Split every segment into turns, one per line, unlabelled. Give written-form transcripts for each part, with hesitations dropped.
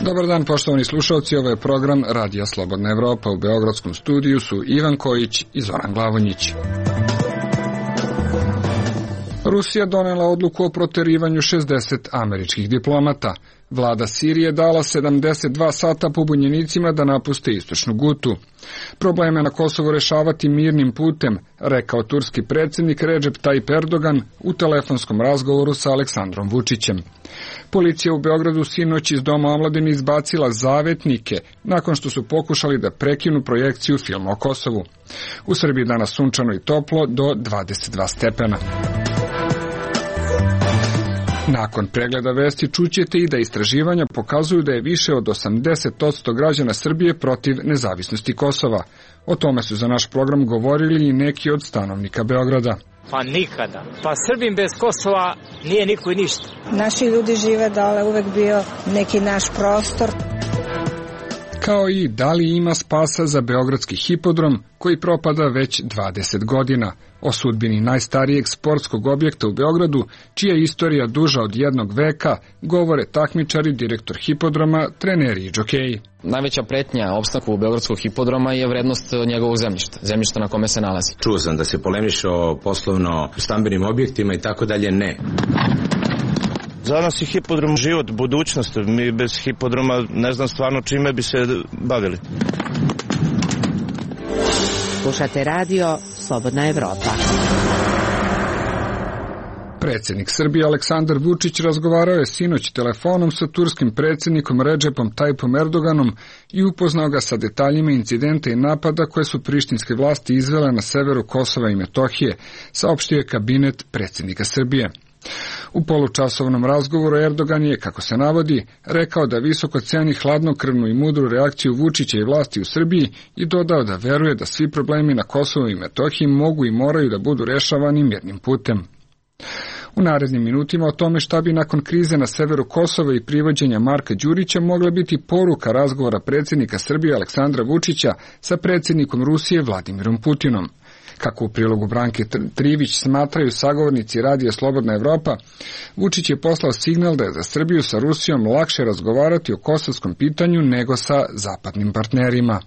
Dobar dan, poštovani slušalci, ovo je program Radija Slobodna Evropa. U beogradskom studiju su Ivan Kojić i Zoran Glavonjić. Rusija donela odluku o proterivanju 60 američkih diplomata. Vlada Sirije dala 72 sata pobunjenicima da napuste istočnu Gutu. Probleme na Kosovu rešavati mirnim putem, rekao turski predsjednik Recep Tayyip Erdogan u telefonskom razgovoru sa Aleksandrom Vučićem. Policija u Beogradu sinoć iz Doma omladine izbacila zavetnike nakon što su pokušali da prekinu projekciju filma o Kosovu. U Srbiji danas sunčano i toplo do 22 stepena. Nakon pregleda vesti čućete i da istraživanja pokazuju da je više od 80% građana Srbije protiv nezavisnosti Kosova. O tome su za naš program govorili i neki od stanovnika Beograda.
Pa nikada. Pa Srbin bez Kosova nije niko i ništa.
Naši ljudi žive dole, uvek bio neki naš prostor.
Kao i da li ima spasa za beogradski hipodrom koji propada već 20 godina. O sudbini najstarijeg sportskog objekta u Beogradu, čija je istorija duža od jednog veka, govore takmičari, direktor hipodroma, treneri i džokeji.
Najveća pretnja opstanku beogradskog hipodroma je vrednost njegovog zemljišta na kome se nalazi.
Čuo sam da se polemiše o poslovno stambenim objektima i tako dalje, ne.
Za nas je hipodrom život, budućnost. Mi bez hipodroma ne znam stvarno čime bi se bavili.
Slušate radio Slobodna Evropa.
Predsjednik Srbije Aleksandar Vučić razgovarao je sinoć telefonom sa turskim predsjednikom Recepom Tayyipom Erdoganom i upoznao ga sa detaljima incidenta i napada koje su prištinske vlasti izvele na severu Kosova i Metohije, saopštio je kabinet predsjednika Srbije. U polučasovnom razgovoru Erdogan je, kako se navodi, rekao da visoko ceni hladnokrvnu i mudru reakciju Vučića i vlasti u Srbiji i dodao da veruje da svi problemi na Kosovu i Metohiji mogu i moraju da budu rešavani mirnim putem. U narednim minutima o tome šta bi nakon krize na severu Kosova i privođenja Marka Đurića mogla biti poruka razgovora predsjednika Srbije Aleksandra Vučića sa predsjednikom Rusije Vladimirom Putinom. Kako u prilogu Branke Trivić smatraju sagovornici Radija Slobodna Evropa, Vučić je poslao signal da je za Srbiju sa Rusijom lakše razgovarati o kosovskom pitanju nego sa zapadnim partnerima.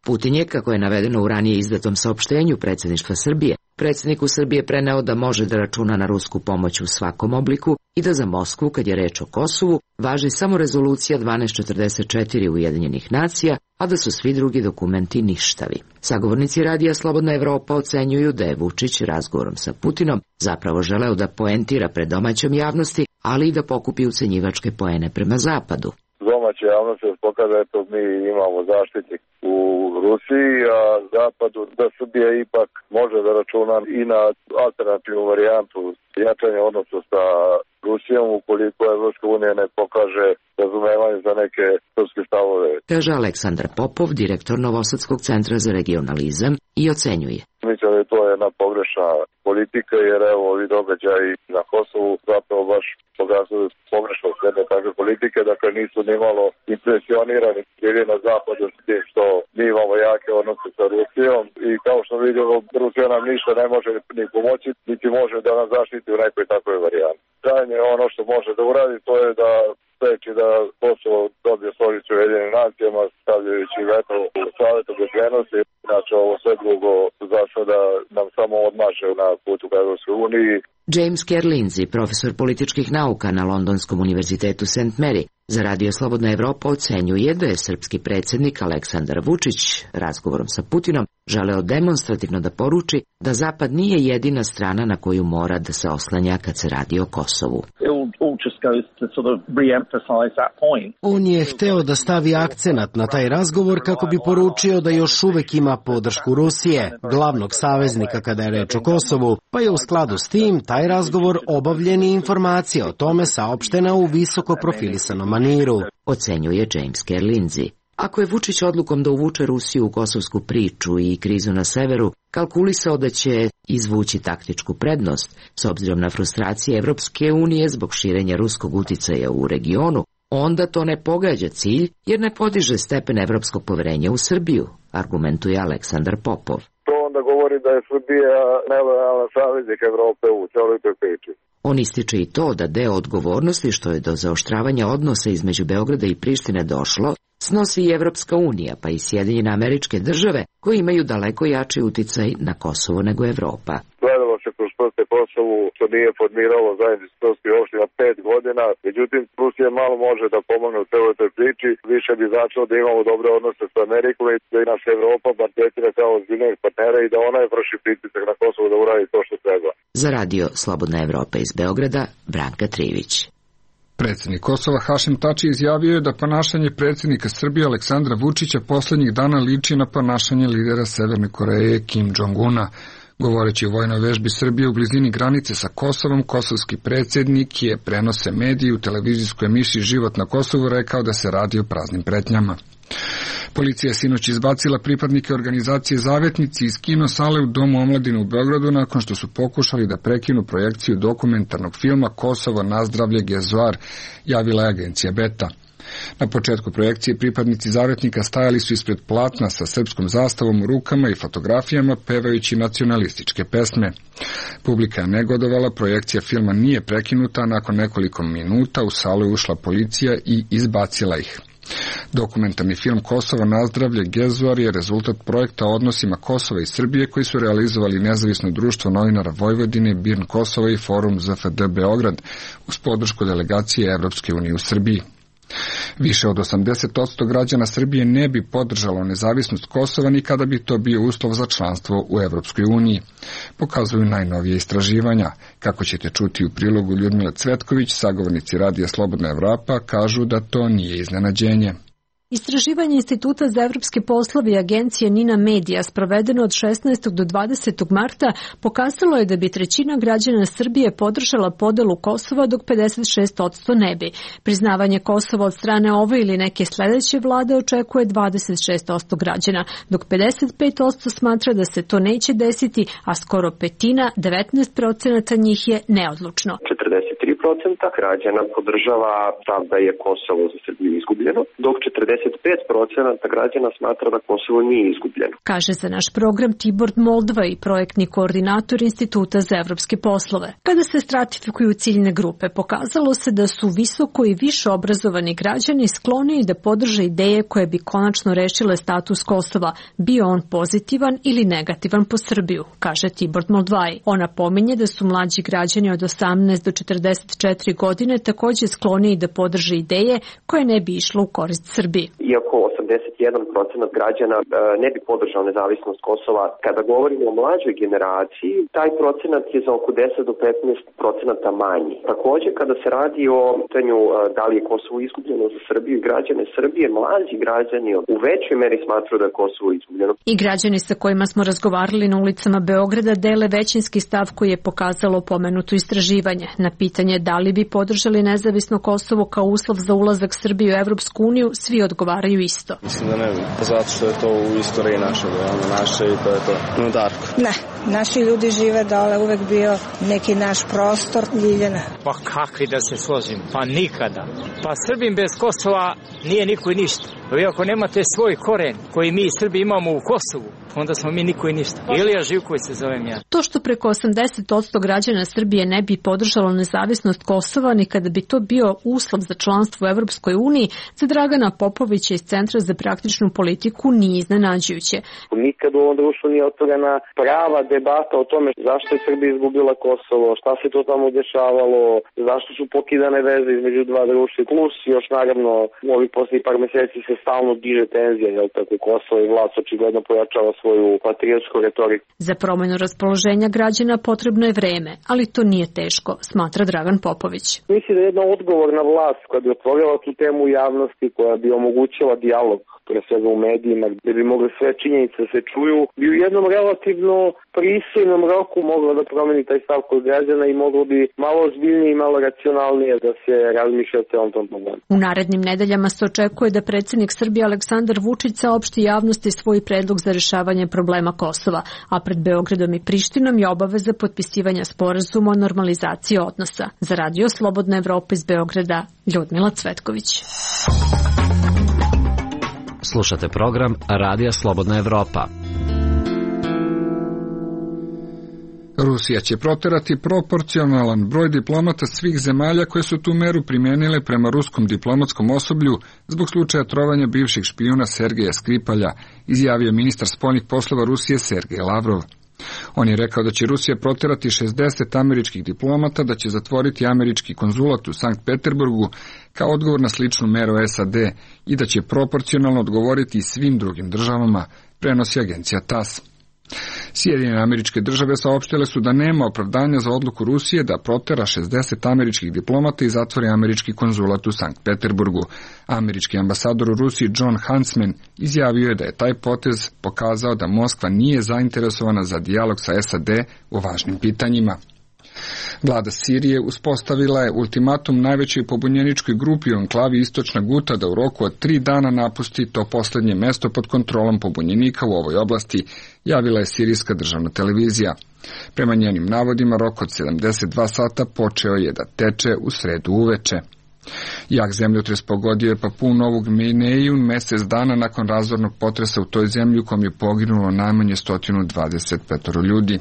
Putin je, kako je navedeno u ranije izdatom saopštenju predsjedništva Srbije, predsjedniku Srbije preneo da može da računa na rusku pomoć u svakom obliku i da za Moskvu, kad je reč o Kosovu, važi samo rezolucija 1244 Ujedinjenih nacija, a da su svi drugi dokumenti ništavi. Sagovornici Radija Slobodna Evropa ocenjuju da je Vučić razgovorom sa Putinom zapravo želeo da poentira pred domaćom javnosti, ali i da pokupi ucenjivačke poene prema Zapadu.
Domaća javnost se pokaže, eto, mi imamo zaštitnik u Rusiji, a Zapadu da Srbija ipak može da računa i na alternativnu varijantu jačanja odnosa sa Rusijom ukoliko Evropska unija ne pokaže razumevanje za neke srpske stavove.
Kaže Aleksandar Popov, direktor Novosadskog centra za regionalizam, i ocenjuje.
Mislim da je to jedna pogrešna politika, jer evo ovi događaji na Kosovu zapravo baš pokazuju pogrešnost jedne takve politike, dakle nisu nimalo impresionirani ili na zapadu s tim što mi imamo jake odnose sa Rusijom i kao što vidimo, Rusija nam ništa ne može ni pomoći, niti može da nas zaštiti u nekoj takvoj varijanti. Krajnje ono što može da uradi, to je da spreči da Kosovo dobije stolicu u Ujedinjenim nacijama, stavljajući veto u Savetu bezbednosti. Znači ovo sve drugo za sada nam samo odmaže na putu ka Evropskoj uniji.
James Kerr Lindsay, profesor političkih nauka na Londonskom univerzitetu St. Mary, za Radio Slobodna Evropa ocenjuje da je srpski predsjednik Aleksandar Vučić razgovorom sa Putinom želeo demonstrativno da poruči da Zapad nije jedina strana na koju mora da se oslanja kad se radi o Kosovu.
On je hteo da stavi akcenat na taj razgovor kako bi poručio da još uvek ima podršku Rusije, glavnog saveznika kada je reč o Kosovu, pa je u skladu s tim taj razgovor obavljen i informacija o tome saopštena u visoko profilisanom maniru,
ocenjuje James Kerr Lindsay. Ako je Vučić odlukom da uvuče Rusiju u kosovsku priču i krizu na severu kalkulisao da će izvući taktičku prednost, s obzirom na frustracije Evropske unije zbog širenja ruskog uticaja u regionu, onda to ne pogađa cilj jer ne podiže stepen evropskog poverenja u Srbiju, argumentuje Aleksandar Popov.
To onda govori da je Srbija nelojalan saveznik Evrope u celoj toj priči.
On ističe i to da deo odgovornosti što je do zaoštravanja odnosa između Beograda i Prištine došlo, snosi i Evropska unija, pa i Sjedinjene Američke Države, koji imaju daleko jači uticaj na Kosovo nego Evropa.
Gledalo se kroz prste Kosovu, što nije formiralo zajedničke opština 5 godina, međutim Rusija malo može da pomogne u celoj toj priči, više bi značilo da imamo dobre odnose sa Amerikom i da nas Evropa bar tretira kao ozbiljnog partnera i da ona je vrši pritisak na Kosovo da uradi to što treba.
Za radio Slobodna Evropa iz Beograda, Branka Trivić.
Predsjednik Kosova Hašim Tači izjavio je da ponašanje predsjednika Srbije Aleksandra Vučića poslednjih dana liči na ponašanje lidera Severne Koreje Kim Jong-una. Govoreći o vojnoj vežbi Srbije u blizini granice sa Kosovom, kosovski predsjednik je prenose mediji u televizijskoj emisiji Život na Kosovu rekao da se radi o praznim pretnjama. Policija je sinoć izbacila pripadnike organizacije Zavetnici iz kino sale u Domu omladine u Beogradu nakon što su pokušali da prekinu projekciju dokumentarnog filma Kosovo nazdravlje Gezuar, javila je agencija Beta. Na početku projekcije pripadnici Zavetnika stajali su ispred platna sa srpskom zastavom u rukama i fotografijama pevajući nacionalističke pesme. Publika je negodovala, projekcija filma nije prekinuta, a nakon nekoliko minuta u salu je ušla policija i izbacila ih. Dokumentarni film Kosovo nazdravlje Gezuar je rezultat projekta o odnosima Kosova i Srbije koji su realizovali Nezavisno društvo novinara Vojvodine, BIRN Kosova i Forum ZFD Beograd uz podršku delegacije Evropske unije u Srbiji. Više od 80% građana Srbije ne bi podržalo nezavisnost Kosova ni kada bi to bio uslov za članstvo u Evropskoj uniji. Pokazuju najnovije istraživanja. Kako ćete čuti u prilogu Ljudmila Cvetković, sagovornici Radija Slobodna Evropa kažu da to nije iznenađenje.
Istraživanje Instituta za evropske poslove i agencije Nina Media sprovedeno od 16. do 20. marta pokazalo je da bi trećina građana Srbije podržala podelu Kosova dok 56% ne bi. Priznavanje Kosova od strane ove ili neke sledeće vlade očekuje 26% građana, dok 55% smatra da se to neće desiti, a skoro petina, 19% njih je neodlučno.
43% građana podržava stav da je Kosovo za Srbiju izgubljeno, dok 45% građana smatra da Kosovo nije izgubljeno.
Kaže za naš program Tibor Moldva i projektni koordinator Instituta za evropske poslove. Kada se stratifikuju ciljne grupe, pokazalo se da su visoko i više obrazovani građani skloniji da podrže ideje koje bi konačno rešile status Kosova, bio on pozitivan ili negativan po Srbiju, kaže Tibor Moldvaj. Ona pominje da su mlađi građani od 18 do 44 godine takođe skloniji da podrže ideje koje ne bi išlo u korist Srbiji.
Iako 81% građana ne bi podržao nezavisnost Kosova, kada govorimo o mlađoj generaciji, taj procenat je za oko 10 do 15% manji. Takođe, kada se radi o pitanju da li je Kosovo izgubljeno za Srbiju i građane Srbije, mlađi građani u većoj meri smatruju da je Kosovo izgubljeno.
I građani sa kojima smo razgovarali na ulicama Beograda dele većinski stav koji je pokazalo pomenuto istraživanje. Na pitanje da li bi podržali nezavisno Kosovo kao uslov za ulazak Srbije u Evropsku uniju, svi odgovaraju isto.
Mislim da ne bi, zato što je to u istoriji naše i to je to. No, Darko.
Ne, naši ljudi žive dole, uvek bio neki naš prostor, Ljiljana.
Pa kakvi da se složim? Pa nikada. Pa Srbin bez Kosova nije niko i ništa. Vi ako nemate svoj koren koji mi Srbi imamo u Kosovu, onda smo mi niko i ništa. Ilija Živković se zovem ja.
To što preko 80% građana Srbije ne bi podržalo nezavisnost Kosova ni kada bi to bio uslov za članstvo u Evropskoj uniji, za Dragana Popovića iz Centra za praktičnu politiku nije iznenađujuće.
Nikad u ovom društvu nije otvorena prava debata o tome zašto je Srbija izgubila Kosovo, šta se to tamo dešavalo, zašto su pokidane veze između dva društva, plus još naravno u ovih posljednjih par meseci se stalno diže tenzija, jel tako, Kosovo i vlast očigledno pojačava svoju patriotsku retoriku.
Za promenu raspoloženja građana potrebno je vreme, ali to nije teško, smatra Dragan Popović.
Mislim da je jedna odgovorna vlast koja bi otvorila tu temu u javnosti, koja bi omogućila dijalog pre svega u medijima, gde bi mogli sve činjenice da se čuju, bi u jednom relativno pristojnom roku moglo da promeni taj stav kod građana i moglo bi malo ozbiljnije i malo racionalnije da se razmišlja o celom tom problemu.
U narednim nedeljama se očekuje da predsjednik Srbije Aleksandar Vučić saopšti javnosti svoj predlog za rešavanje problema Kosova, a pred Beogradom i Prištinom je obaveza potpisivanja sporazuma o normalizaciji odnosa. Za Radio Slobodna Evropa iz Beograda, Ljudmila Cvetković.
Slušate program Radija Slobodna Evropa.
Rusija će proterati proporcionalan broj diplomata svih zemalja koje su tu meru primijenile prema ruskom diplomatskom osoblju zbog slučaja trovanja bivšeg špijuna Sergeja Skripalja, izjavio ministar spoljnih poslova Rusije Sergej Lavrov. On je rekao da će Rusija proterati 60 američkih diplomata, da će zatvoriti američki konzulat u Sankt Peterburgu kao odgovor na sličnu meru SAD i da će proporcionalno odgovoriti i svim drugim državama, prenosi agencija TASS. Sjedinjene Američke Države saopštile su da nema opravdanja za odluku Rusije da protera 60 američkih diplomata i zatvori američki konzulat u Sankt Peterburgu. Američki ambasador u Rusiji John Huntsman izjavio je da je taj potez pokazao da Moskva nije zainteresovana za dijalog sa SAD u važnim pitanjima. Vlada Sirije uspostavila je ultimatum najvećoj pobunjeničkoj grupi u enklavi Istočna Guta da u roku od 3 dana napusti to posljednje mesto pod kontrolom pobunjenika u ovoj oblasti, javila je sirijska državna televizija. Prema njenim navodima, rok od 72 sata počeo je da teče u sredu uveče. Jak zemljotres pogodio je Papuu Novu Gvineju mjesec dana nakon razornog potresa u toj zemlji u kom je poginulo najmanje 125 ljudi.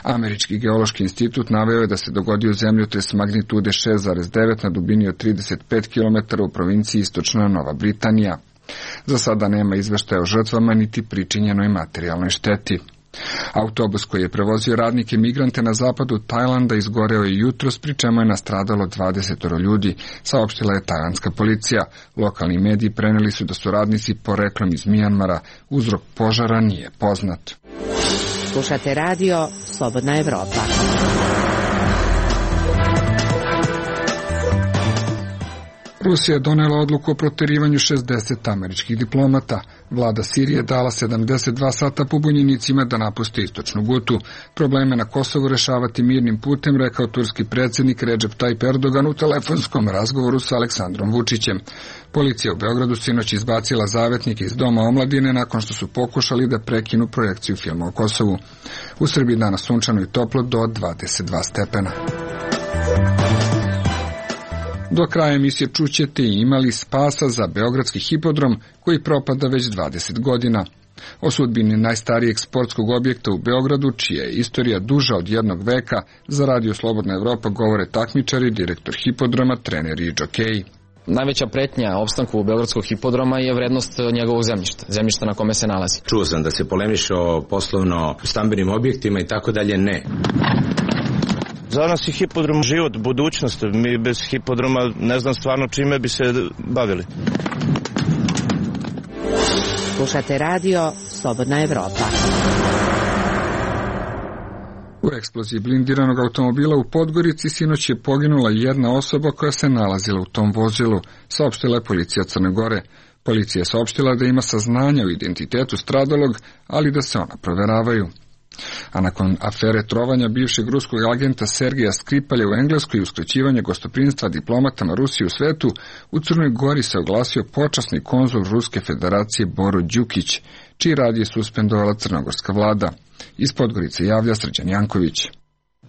Američki geološki institut naveo je da se dogodio zemljotres magnitude 6,9 na dubini od 35 km u provinciji Istočna Nova Britanija. Za sada nema izveštaja o žrtvama niti pričinjenoj materijalnoj šteti. Autobus koji je prevozio radnike migrante na zapadu Tajlanda izgoreo je jutros, pri čemu je nastradalo 20 ljudi, saopštila je tajlandska policija. Lokalni mediji preneli su da su radnici poreklom iz Mijanmara. Uzrok požara nije poznat.
Slušate radio Slobodna Evropa.
Rusija je donela odluku o proterivanju 60 američkih diplomata. Vlada Sirije dala 72 sata pobunjenicima da napuste Istočnu Gutu. Probleme na Kosovu rešavati mirnim putem, rekao turski predsjednik Recep Tayyip Erdogan u telefonskom razgovoru sa Aleksandrom Vučićem. Policija u Beogradu sinoć izbacila zavetnike iz Doma omladine nakon što su pokušali da prekinu projekciju filma o Kosovu. U Srbiji danas sunčano i toplo do 22 stepena. Do kraja emisije čućete i imali spasa za beogradski hipodrom koji propada već 20 godina. O sudbini najstarijeg sportskog objekta u Beogradu, čija je istorija duža od jednog veka, za Radio Slobodna Evropa govore takmičari, direktor hipodroma, treneri i džokeji.
Najveća pretnja opstanku beogradskog hipodroma je vrednost njegovog zemljišta na kome se nalazi.
Čuo sam da se polemiše o poslovno stambenim objektima i tako dalje, ne.
Za nas je hipodrom život, budućnost. Mi bez hipodroma ne znam stvarno čime bi se bavili.
Slušate radio Slobodna Evropa.
U eksploziji blindiranog automobila u Podgorici sinoć je poginula jedna osoba koja se nalazila u tom vozilu, saopštila je policija Crne Gore. Policija je saopštila da ima saznanja o identitetu stradalog, ali da se ona proveravaju. A nakon afere trovanja bivšeg ruskog agenta Sergeja Skripalja u Engleskoj i uskraćivanja gostoprinstva diplomatama Rusije u svetu, u Crnoj Gori se oglasio počasni konzul Ruske federacije Boro Đukić, čiji rad je suspendovala crnogorska vlada. Iz Podgorice javlja Srđan Janković.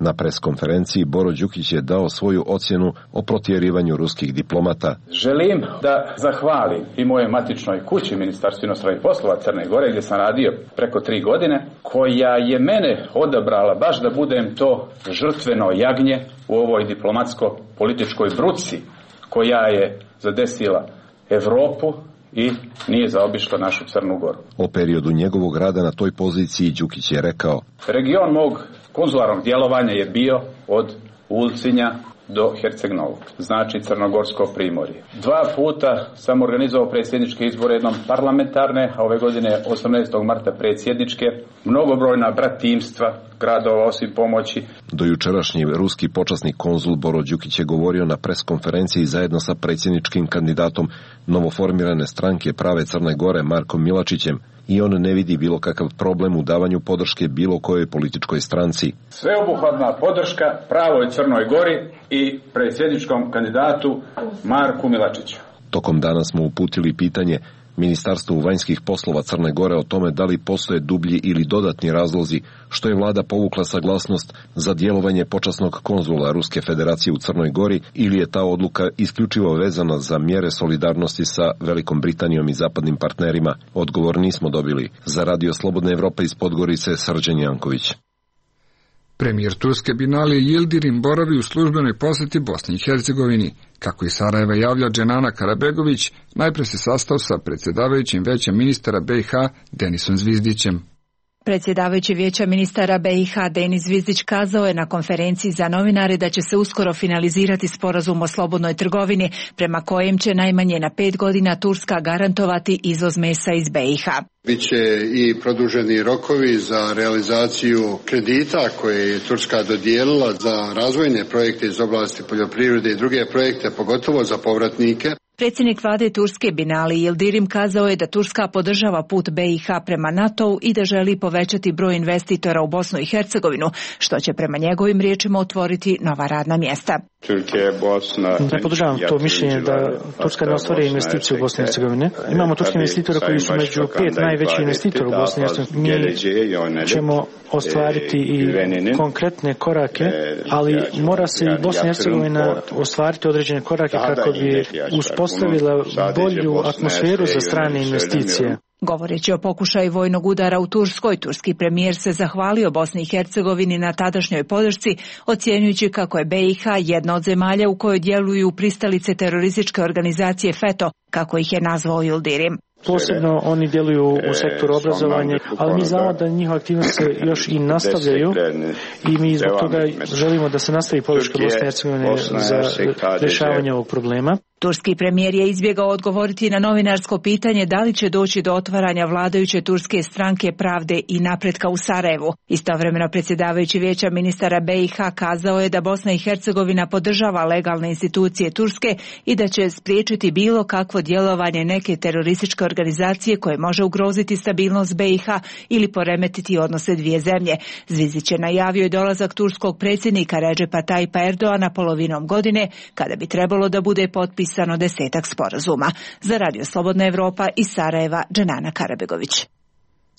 Na preskonferenciji Boro Đukić je dao svoju ocjenu o protjerivanju ruskih diplomata.
Želim da zahvalim i moje matičnoj kući, Ministarstvu inostranih poslova Crne Gore, gdje sam radio preko 3 godine, koja je mene odabrala baš da budem to žrtveno jagnje u ovoj diplomatsko-političkoj bruci koja je zadesila Evropu i nije zaobišla našu Crnu Goru.
O periodu njegovog rada na toj poziciji Đukić je rekao:
region mog konzularnog djelovanja je bio od Ulcinja do Herceg-Novog, znači Crnogorsko primorje. 2 puta sam organizovao predsjedničke izbore, jednom parlamentarne, a ove godine 18. marta predsjedničke, mnogobrojna bratimstva gradova osim pomoći.
Do jučerašnji ruski počasni konzul Boro Đukić je govorio na preskonferenciji zajedno sa predsjedničkim kandidatom novoformirane stranke Prave Crne Gore Markom Milačićem i on ne vidi bilo kakav problem u davanju podrške bilo kojoj političkoj stranci.
Sveobuhvatna podrška Pravoj Crnoj Gori i predsjedničkom kandidatu Marku Milačiću.
Tokom dana smo uputili pitanje Ministarstvu vanjskih poslova Crne Gore o tome da li postoje dublji ili dodatni razlozi što je vlada povukla saglasnost za djelovanje počasnog konzula Ruske federacije u Crnoj Gori ili je ta odluka isključivo vezana za mjere solidarnosti sa Velikom Britanijom i zapadnim partnerima. Odgovor nismo dobili. Za Radio Slobodna Evropa iz Podgorice Srđan Janković.
Premijer Turske Binali Yildirim boravi u službenoj posjeti Bosni i Hercegovini. Kako iz Sarajeva javlja Dženana Karabegović, najprije se sastao sa predsjedavajućim Vijećem ministara BiH Denisom Zvizdićem.
Predsjedavajući Vijeća ministara BiH Denis Zvizdić kazao je na konferenciji za novinare da će se uskoro finalizirati sporazum o slobodnoj trgovini, prema kojem će najmanje na 5 godina Turska garantovati izvoz mesa iz BiH.
Biće i produženi rokovi za realizaciju kredita koje je Turska dodijelila za razvojne projekte iz oblasti poljoprivrede i druge projekte, pogotovo za povratnike.
Predsjednik vlade Turske Binali Yildirim kazao je da Turska podržava put BiH prema NATO-u i da želi povećati broj investitora u Bosnu i Hercegovinu, što će prema njegovim riječima otvoriti nova radna mjesta.
Ne podržavam to mišljenje da Turska ne ostvari investicije u Bosni i Hercegovini. Imamo turske investitora koji su među 5 najvećih investitora u Bosni i Hercegovini. Mi ćemo ostvariti i konkretne korake, ali mora se i Bosna i Hercegovina ostvariti određene korake kako bi uspostavila bolju atmosferu za strane investicije.
Govoreći o pokušaju vojnog udara u Turskoj, turski premijer se zahvalio Bosni i Hercegovini na tadašnjoj podršci, ocjenjujući kako je BiH jedna od zemalja u kojoj djeluju pristalice terorističke organizacije FETO, kako ih je nazvao Yildirim.
Posebno oni djeluju u sektoru obrazovanja, ali mi znamo da njihove aktivnosti se još i nastavljaju i mi zbog toga želimo da se nastavi podrška Bosne i Hercegovine za rješavanje ovog problema.
Turski premijer je izbjegao odgovoriti na novinarsko pitanje da li će doći do otvaranja vladajuće turske stranke Pravde i napretka u Sarajevu. Istovremeno predsjedavajući Vijeća ministara BiH kazao je da Bosna i Hercegovina podržava legalne institucije Turske i da će spriječiti bilo kakvo djelovanje neke terorističke organizacije koje može ugroziti stabilnost BiH ili poremetiti odnose dvije zemlje. Zvizdić je najavio i dolazak turskog predsjednika Redžepa Tayyipa Erdoana polovinom godine, kada bi trebalo da bude potpisano 10 sporazuma. Za Radio Slobodna Evropa iz Sarajeva, Dženana Karabegović.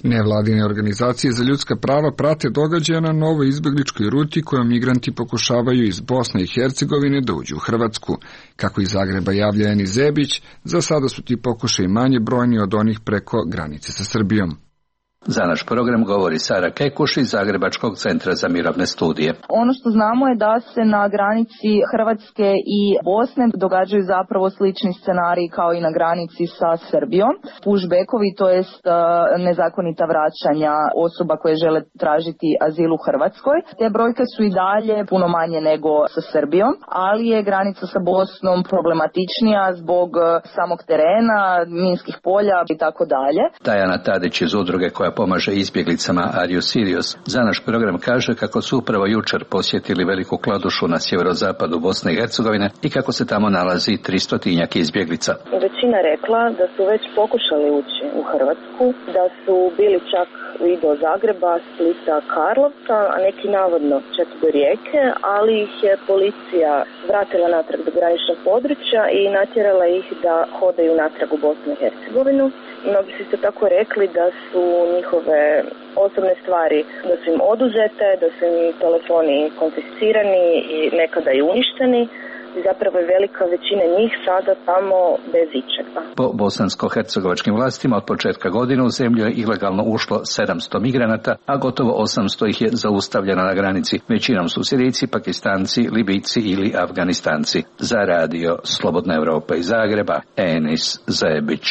Nevladine organizacije za ljudska prava prate događaje na novoj izbjegličkoj ruti kojom migranti pokušavaju iz Bosne i Hercegovine da uđu u Hrvatsku. Kako iz Zagreba javlja Eni Zebić, za sada su ti pokušaji manje brojni od onih preko granice sa Srbijom.
Za naš program govori Sara Kekuš iz Zagrebačkog centra za mirovne studije.
Ono što znamo je da se na granici Hrvatske i Bosne događaju zapravo slični scenariji kao i na granici sa Srbijom. Pushbackovi, to jest nezakonita vraćanja osoba koje žele tražiti azil u Hrvatskoj. Te brojke su i dalje puno manje nego sa Srbijom, ali je granica sa Bosnom problematičnija zbog samog terena, minskih polja i tako dalje.
Tajana Tadić iz udruge koja pomaže izbjeglicama Are You Serious za naš program kaže kako su upravo jučer posjetili Veliku Kladušu na sjeverozapadu Bosne i Hercegovine i kako se tamo nalazi 300-tinjak izbjeglica.
Većina rekla da su već pokušali ući u Hrvatsku, da su bili čak i do Zagreba, Splita, Karlovca, a neki navodno čak do Rijeke, ali ih je policija vratila natrag do graničnog područja i natjerala ih da hodaju natrag u Bosnu i Hercegovinu. Mnogi su isto tako rekli da su njihove osobne stvari, da su im oduzete, da su im telefoni konfiscirani i nekada i uništeni. I zapravo je velika većina njih sada tamo bez ičega.
Po bosansko-hercegovačkim vlastima od početka godine u zemlju je ilegalno ušlo 700 migranata, a gotovo 800 ih je zaustavljeno na granici. Većinom su Sirijci, Pakistanci, Libijci ili Afganistanci. Za Radio Slobodna Evropa iz Zagreba, Enis Zebić.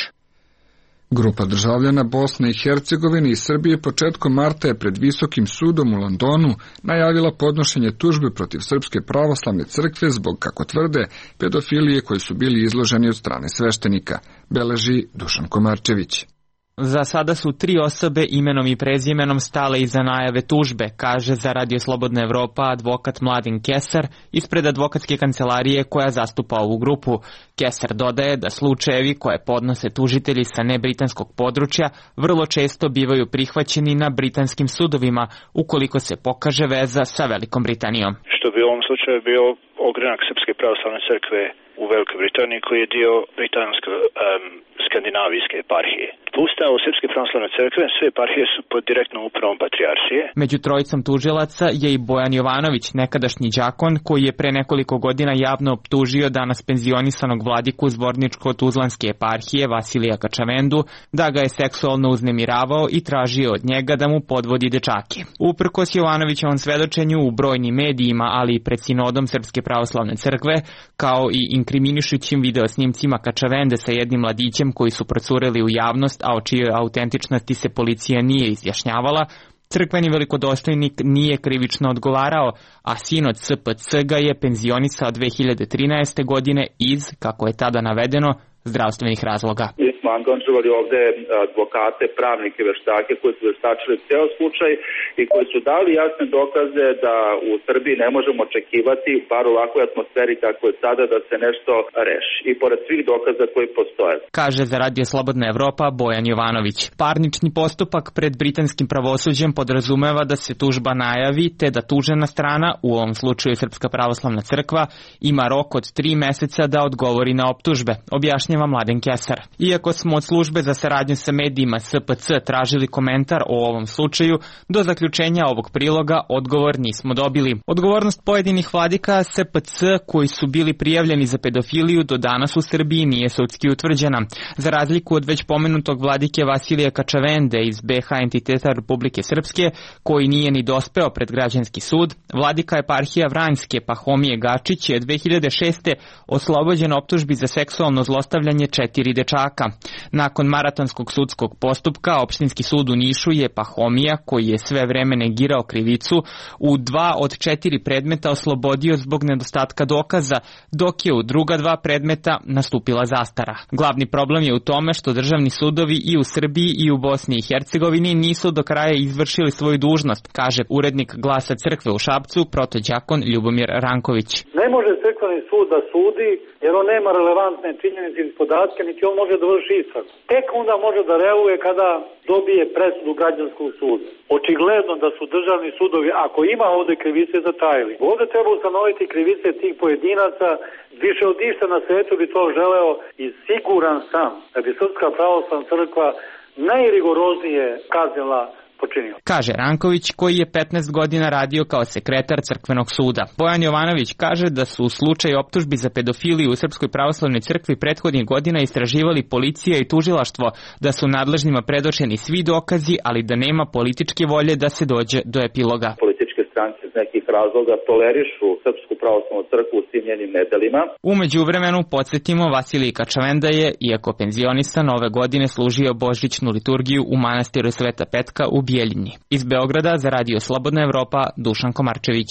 Grupa državljana Bosne i Hercegovine i Srbije početkom marta je pred Visokim sudom u Londonu najavila podnošenje tužbe protiv Srpske pravoslavne crkve zbog, kako tvrde, pedofilije koji su bili izloženi od strane sveštenika, beleži Dušan Komarčević.
Za sada su 3 osobe imenom i prezimenom stale iza najave tužbe, kaže za Radio Slobodna Evropa advokat Mladen Kesar ispred advokatske kancelarije koja zastupa ovu grupu. Kesar dodaje da slučajevi koje podnose tužitelji sa nebritanskog područja vrlo često bivaju prihvaćeni na britanskim sudovima ukoliko se pokaže veza sa Velikom Britanijom.
Što bi u ovom slučaju bio ogranak Srpske pravoslavne crkve u Velikoj Britaniji koji je dio britansko-skandinavijske eparhije. Ustavu Srpske pravoslavne crkve sve eparhije su pod direktnom upravom patrijaršije.
Među trojicom tužilaca je i Bojan Jovanović, nekadašnji đakon koji je pre nekoliko godina javno optužio danas penzionisanog vladiku Zvorničko-Tuzlanske eparhije Vasilija Kačavendu da ga je seksualno uznemiravao i tražio od njega da mu podvodi dečake. Uprkos Jovanovićevom svedočenju u brojnim medijima, ali i pred sinodom Srpske pravoslavne crkve, kao i inkriminišućim videosnimcima Kačavende sa jednim mladićem koji su procureli u javnost, a o čijoj autentičnosti se policija nije izjašnjavala, crkveni velikodostojnik nije krivično odgovarao, a sinod SPC ga je penzionisao 2013. godine iz, kako je tada navedeno, zdravstvenih razloga.
Mi smo angažovali ovde advokate, pravnike, veštake koji su veštačili ceo slučaj i koji su dali jasne dokaze da u Srbiji ne možemo očekivati, bar u ovakvoj atmosferi kako je sada, da se nešto reši. I pored svih dokaza koji postoje.
Kaže za Radio Slobodna Evropa Bojan Jovanović. Parnični postupak pred britanskim pravosuđem podrazumeva da se tužba najavi, te da tužena strana, u ovom slučaju Srpska pravoslavna crkva, ima rok od 3 meseca da odgovori na optužbe, objašnjava Mladen Kesar. Iako smo od službe za saradnju sa medijima SPC tražili komentar o ovom slučaju, do zaključenja ovog priloga odgovor nismo dobili. Odgovornost pojedinih vladika SPC koji su bili prijavljeni za pedofiliju do danas u Srbiji nije sudski utvrđena. Za razliku od već pomenutog vladike Vasilija Kačavende iz BH entiteta Republike Srpske, koji nije ni dospeo pred građanski sud, vladika eparhija Vranjske Pahomije Gačić je 2006. oslobođen optužbi za seksualno zlostavljanje 4 dečaka. Nakon maratonskog sudskog postupka, opštinski sud u Nišu je Pahomija, koji je sve vreme negirao krivicu, u 2 od 4 predmeta oslobodio zbog nedostatka dokaza, dok je u druga 2 predmeta nastupila zastara. Glavni problem je u tome što državni sudovi i u Srbiji i u Bosni i Hercegovini nisu do kraja izvršili svoju dužnost, kaže urednik Glasa crkve u Šapcu, protođakon Ljubomir Ranković.
Ne može crkveni sud da sudi jer on nema relevantne činjenice i podatke, niti on može da vrši istragu. Tek onda može da reaguje kada dobije presudu građanskog suda. Očigledno da su državni sudovi, ako ima ovde krivice, zatajili. Ovde treba ustanoviti krivice tih pojedinaca, više od išta na svetu bi to želeo i siguran sam da bi Srpska pravoslavna crkva najrigoroznije kaznila počinio.
Kaže Ranković, koji je 15 godina radio kao sekretar crkvenog suda. Bojan Jovanović kaže da su u slučaju optužbi za pedofiliju u Srpskoj pravoslavnoj crkvi prethodnih godina istraživali policija i tužilaštvo, da su nadležnima predočeni svi dokazi, ali da nema političke volje da se dođe do epiloga.
Političke stranke iz nekih razloga tolerišu Srpsku pravoslavnu crkvu u svim njenim nedelima.
U međuvremenu, podsjetimo, Vasilij Kačavenda je, iako penzionisan, ove godine služio božićnu liturgiju u manastiru Sveta Petka u Bijeljini. Iz Beograda za Radio Slobodna Evropa, Dušan Komarčević.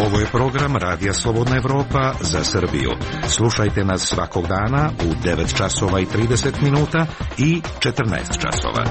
Ovo je program Radija Slobodna Evropa za Srbiju. Slušajte nas svakog dana u 9 časova i 30 minuta i 14 časova.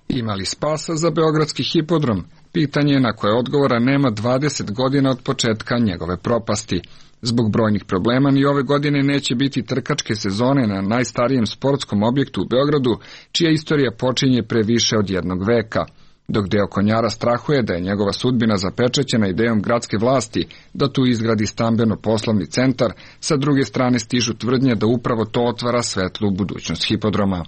Ima li spasa za beogradski hipodrom? Pitanje je na koje odgovora nema 20 godina od početka njegove propasti. Zbog brojnih problema ni ove godine neće biti trkačke sezone na najstarijem sportskom objektu u Beogradu, čija istorija počinje pre više od 1 veka. Dok deo konjara strahuje da je njegova sudbina zapečećena idejom gradske vlasti da tu izgradi stambeno-poslovni centar, sa druge strane stižu tvrdnje da upravo to otvara svetlu budućnost hipodroma.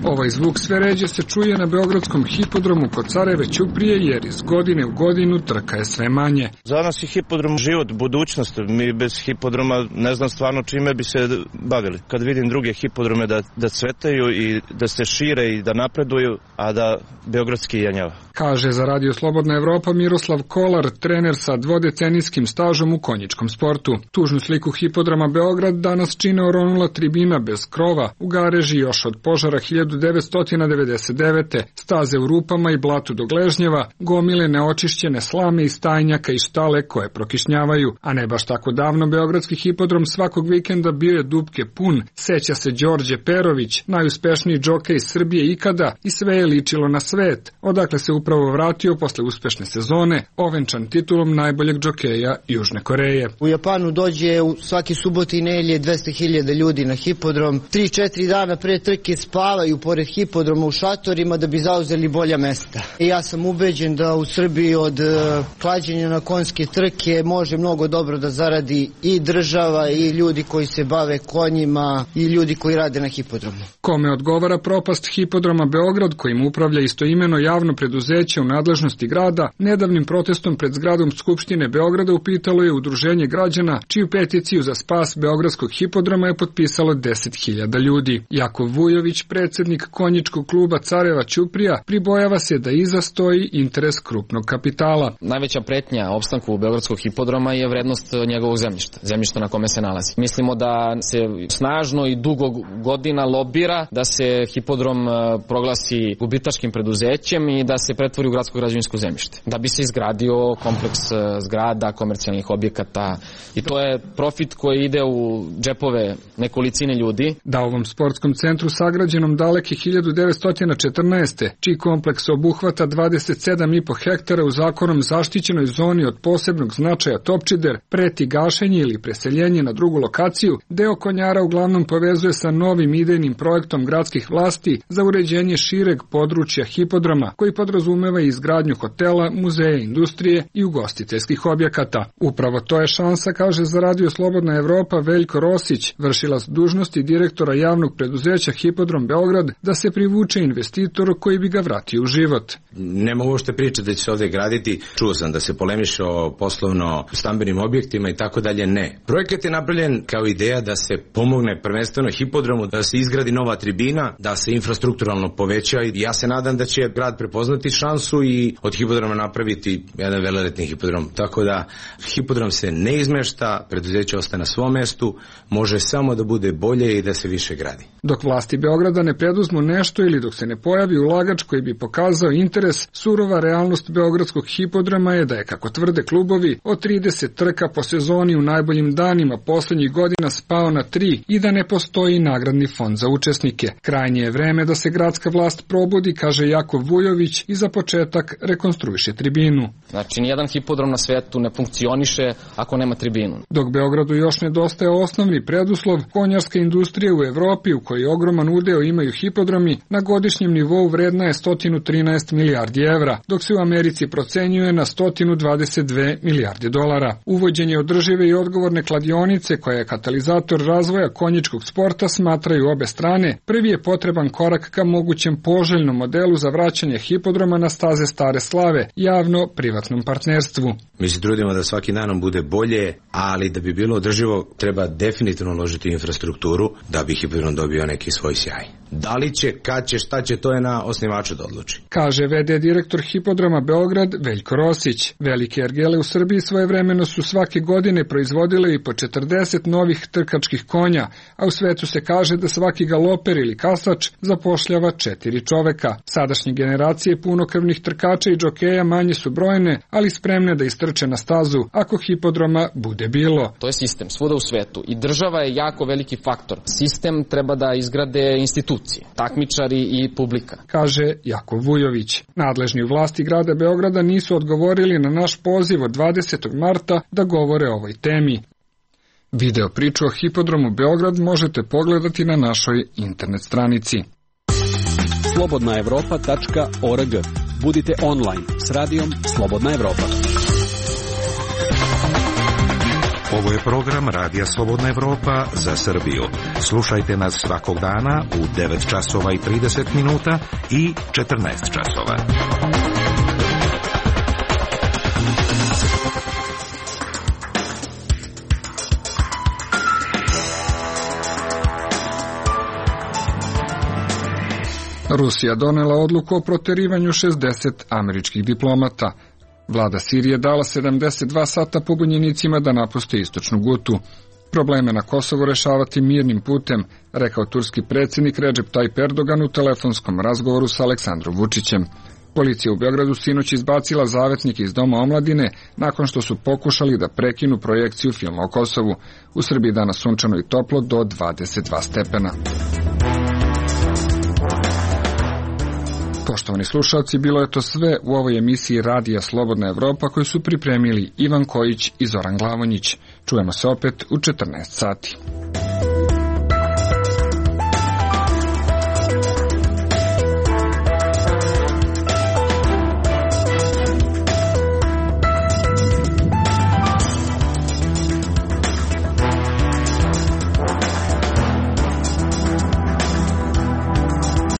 Ovaj zvuk sve ređe se čuje na beogradskom hipodromu kod Careve Ćuprije, jer iz godine u godinu trka je sve manje.
Za nas je hipodrom život, budućnost. Mi bez hipodroma ne znam stvarno čime bi se bavili. Kad vidim druge hipodrome da cvetaju i da se šire i da napreduju, a da beogradski jenjava.
Kaže za Radio Slobodna Evropa Miroslav Kolar, trener sa dvodecenijskim stažom u konjičkom sportu. Tužnu sliku hipodroma Beograd danas čine oronula tribina bez krova u gareži još od požara 1999. Staze u rupama i blatu do gležnjeva, gomile neočišćene slame iz stajnjaka i štale koje prokišnjavaju, a ne baš tako davno beogradski hipodrom svakog vikenda bio je dupke pun, seća se Đorđe Perović, najuspešniji džokej iz Srbije ikada i sve je ličilo na svet, odakle se upravo vratio posle uspešne sezone, ovenčan titulom najboljeg džokeja Južne Koreje.
U Japanu dođe svaki subote i nedelje 200.000 ljudi na hipodrom, 3-4 dana pre trke spavaju pored hipodroma u šatorima da bi zauzeli bolja mesta. I ja sam ubeđen da u Srbiji od klađenja na konjske trke može mnogo dobro da zaradi i država i ljudi koji se bave konjima i ljudi koji rade na hipodromu.
Kome odgovara propast hipodroma Beograd, kojim upravlja istoimeno javno preduzeće u nadležnosti grada, nedavnim protestom pred zgradom Skupštine Beograda upitalo je udruženje građana, čiju peticiju za spas beogradskog hipodroma je potpisalo 10.000 ljudi. Jakov Vujović, predsjednik konjičkog kluba Careva Ćuprija, pribojava se da iza stoji interes krupnog kapitala.
Najveća pretnja opstanku beogradskog hipodroma je vrednost njegovog zemljišta na kome se nalazi. Mislimo da se snažno i dugo godina lobira da se hipodrom proglasi gubitaškim preduzećem i da se pretvori u gradsko građevinsko zemljište, da bi se izgradio kompleks zgrada, komercijalnih objekata, i to je profit koji ide u džepove nekolicine ljudi.
Da ovom sportskom centru sagrađenom daleke 1914. čiji kompleks obuhvata 27,5 hektara u zakonom zaštićenoj zoni od posebnog značaja Topčider, preti gašenje ili preseljenje na drugu lokaciju, deo Konjara uglavnom povezuje sa novim idejnim projektom gradskih vlasti za uređenje šireg područja hipodroma, koji podrazumeva izgradnju hotela, muzeja, industrije i ugostiteljskih objekata. Upravo to je šansa, kaže za Radio Slobodna Evropa Veljko Rosić, vršilac dužnosti direktora javnog preduzeća Hipodrom Beograd, da se privuče investitor koji bi ga vratio u život.
Nema uopšte priče da će se ovde graditi. Čuo sam da se polemiše o poslovno stambenim objektima i tako dalje. Ne. Projekat je napravljen kao ideja da se pomogne prvenstveno hipodromu, da se izgradi nova tribina, da se infrastrukturalno poveća, i ja se nadam da će grad prepoznati šansu i od hipodroma napraviti jedan veleletni hipodrom. Tako da hipodrom se ne izmešta, preduzeće ostaje na svom mestu, može samo da bude bolje i da se više gradi.
Dok vlasti Beograda ne preduzmu nešto ili dok se ne pojavi ulagač koji bi pokazao interes, surova realnost beogradskog hipodroma je da je, kako tvrde klubovi, od 30 trka po sezoni u najboljim danima poslednjih godina spao na 3 i da ne postoji nagradni fond za učesnike. Krajnje je vreme da se gradska vlast probudi, kaže Jakov Vujović, i za početak rekonstruiše tribinu.
Znači, nijedan hipodrom na svetu ne funkcioniše ako nema tribinu.
Dok Beogradu još nedostaje osnovni preduslov, konjarska industrija u Evropi, u kojoj ogroman udeo imaju hipodromi, na godišnjem nivou vredna je 113 milijardi evra, dok se u Americi procenjuje na 122 milijarde dolara. Uvođenje održive i odgovorne kladionice, koja je katalizator razvoja konjičkog sporta, smatraju obe strane, prvi je potreban korak ka mogućem poželjnom modelu za vraćanje hipodroma na staze stare slave, javno-privatnom partnerstvu.
Mi se trudimo da svaki danom bude bolje, ali da bi bilo održivo treba definitivno uložiti infrastrukturu da bi hipodrom dobio neki svoj sjaj. Da li će, kad će, šta će, to je na osnivaču da odluči.
Kaže VD direktor hipodroma Beograd Veljko Rosić. Velike ergele u Srbiji svojevremeno su svake godine proizvodile i po 40 novih trkačkih konja, a u svetu se kaže da svaki galoper ili kasač zapošljava 4 čoveka. Sadašnje generacije punokrvnih trkača i džokeja manje su brojne, ali spremne da istrče na stazu ako hipodroma bude bilo.
To je sistem svuda u svetu i država je jako veliki faktor. Sistem treba da izgrade institucije, takmičari i publika,
kaže Jakov Vujović. Nadležni u vlasti grada Beograda nisu odgovorili na naš poziv od 20. marta da govore o ovoj temi. Video priču o hipodromu Beograd možete pogledati na našoj internet stranici.
slobodnaevropa.org. Budite online s radijom Slobodna Evropa.
Ovo je program Radija Slobodna Evropa za Srbiju. Slušajte nas svakog dana u 9 časova i 30 minuta i 14 časova.
Rusija donela odluku o proterivanju 60 američkih diplomata. Vlada Sirije dala 72 sata pobunjenicima da napuste istočnu Gutu. probleme na Kosovu rešavati mirnim putem, rekao turski predsjednik Recep Tayyip Erdogan u telefonskom razgovoru sa Aleksandrom Vučićem. Policija u Beogradu sinoć izbacila zavetnike iz Doma omladine nakon što su pokušali da prekinu projekciju filma o Kosovu. U Srbiji danas sunčano i toplo do 22 stepena. Poštovani slušalci, bilo je to sve u ovoj emisiji Radija Slobodna Evropa koju su pripremili Ivan Kojić i Zoran Glavonjić. Čujemo se opet u 14 sati.